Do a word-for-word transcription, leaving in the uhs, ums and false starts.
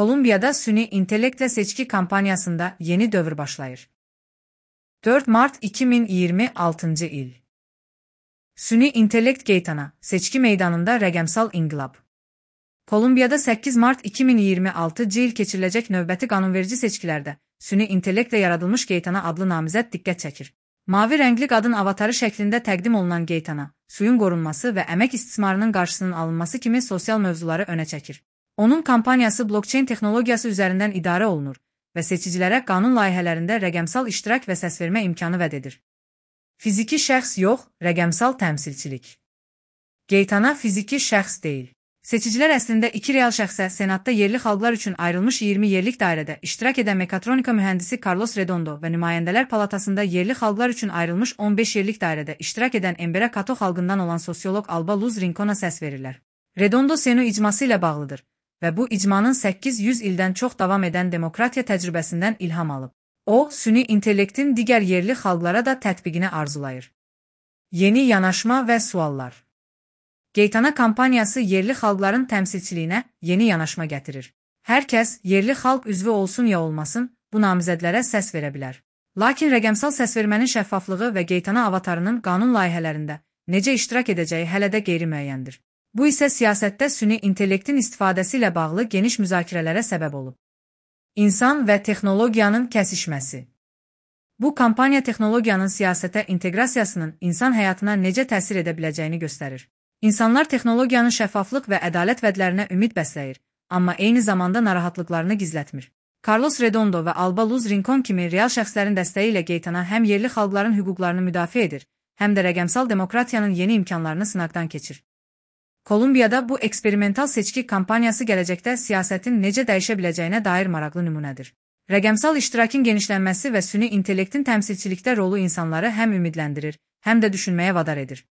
Kolumbiyada süni intellektlə seçki kampanyasında yeni dövr başlayır. dörd mart iki min iyirmi altıncı il. Süni intellekt Geytana, seçki meydanında rəqəmsal inqilab. Kolumbiyada səkkiz mart iki min iyirmi altıncı il keçiriləcək növbəti qanunverici seçkilərdə süni intellektlə yaradılmış Geytana adlı namizəd diqqət çəkir. Mavi rəngli qadın avatarı şəklində təqdim olunan Geytana, suyun qorunması və əmək istismarının qarşısının alınması kimi sosial mövzuları önə çəkir. Onun kampaniyası blockchain texnologiyası üzərindən idarə olunur və seçicilərə qanun layihələrində rəqəmsal iştirak və səsvermə imkanı vəd edir. Fiziki şəxs yox, rəqəmsal təmsilçilik. Geytana fiziki şəxs deyil. Seçicilər əslində iki real şəxsə Senatda yerli xalqlar üçün ayrılmış iyirmi yerlik dairədə iştirak edən mekatronika mühəndisi Carlos Redondo və Nümayəndələr Palatasında yerli xalqlar üçün ayrılmış on beş yerlik dairədə iştirak edən Embera Kato xalqından olan sosioloq Alba Luz Rincona səs verirlər. Redondo Senu icması ilə bağlıdır və bu icmanın səkkiz yüz ildən çox davam edən demokratiya təcrübəsindən ilham alıb. O, süni intellektin digər yerli xalqlara da tətbiqini arzulayır. Yeni yanaşma və suallar. Geytana kampaniyası yerli xalqların təmsilçiliyinə yeni yanaşma gətirir. Hər kəs, yerli xalq üzvü olsun ya olmasın, bu namizədlərə səs verə bilər. Lakin rəqəmsal səsvermənin şəffaflığı və Geytana avatarının qanun layihələrində necə iştirak edəcəyi hələ də qeyri-müəyyəndir. Bu isə siyasətdə süni intellektin istifadəsi ilə bağlı geniş müzakirələrə səbəb olub. İnsan və texnologiyanın kəsişməsi. Bu kampaniya texnologiyanın siyasətə inteqrasiyasının insan həyatına necə təsir edə biləcəyini göstərir. İnsanlar texnologiyanın şəffaflıq və ədalət vədlərinə ümid bəsləyir, amma eyni zamanda narahatlıqlarını gizlətmir. Carlos Redondo və Alba Luz Rincon kimi real şəxslərin dəstəyi ilə Geytana həm yerli xalqların hüquqlarını müdafiə edir, həm də rəqəmsal demokratiyanın yeni imkanlarını sınaqdan keçir. Kolumbiyada bu eksperimental seçki kampaniyası gələcəkdə siyasətin necə dəyişə biləcəyinə dair maraqlı nümunədir. Rəqəmsal iştirakın genişlənməsi və süni intellektin təmsilçilikdə rolu insanları həm ümidləndirir, həm də düşünməyə vadar edir.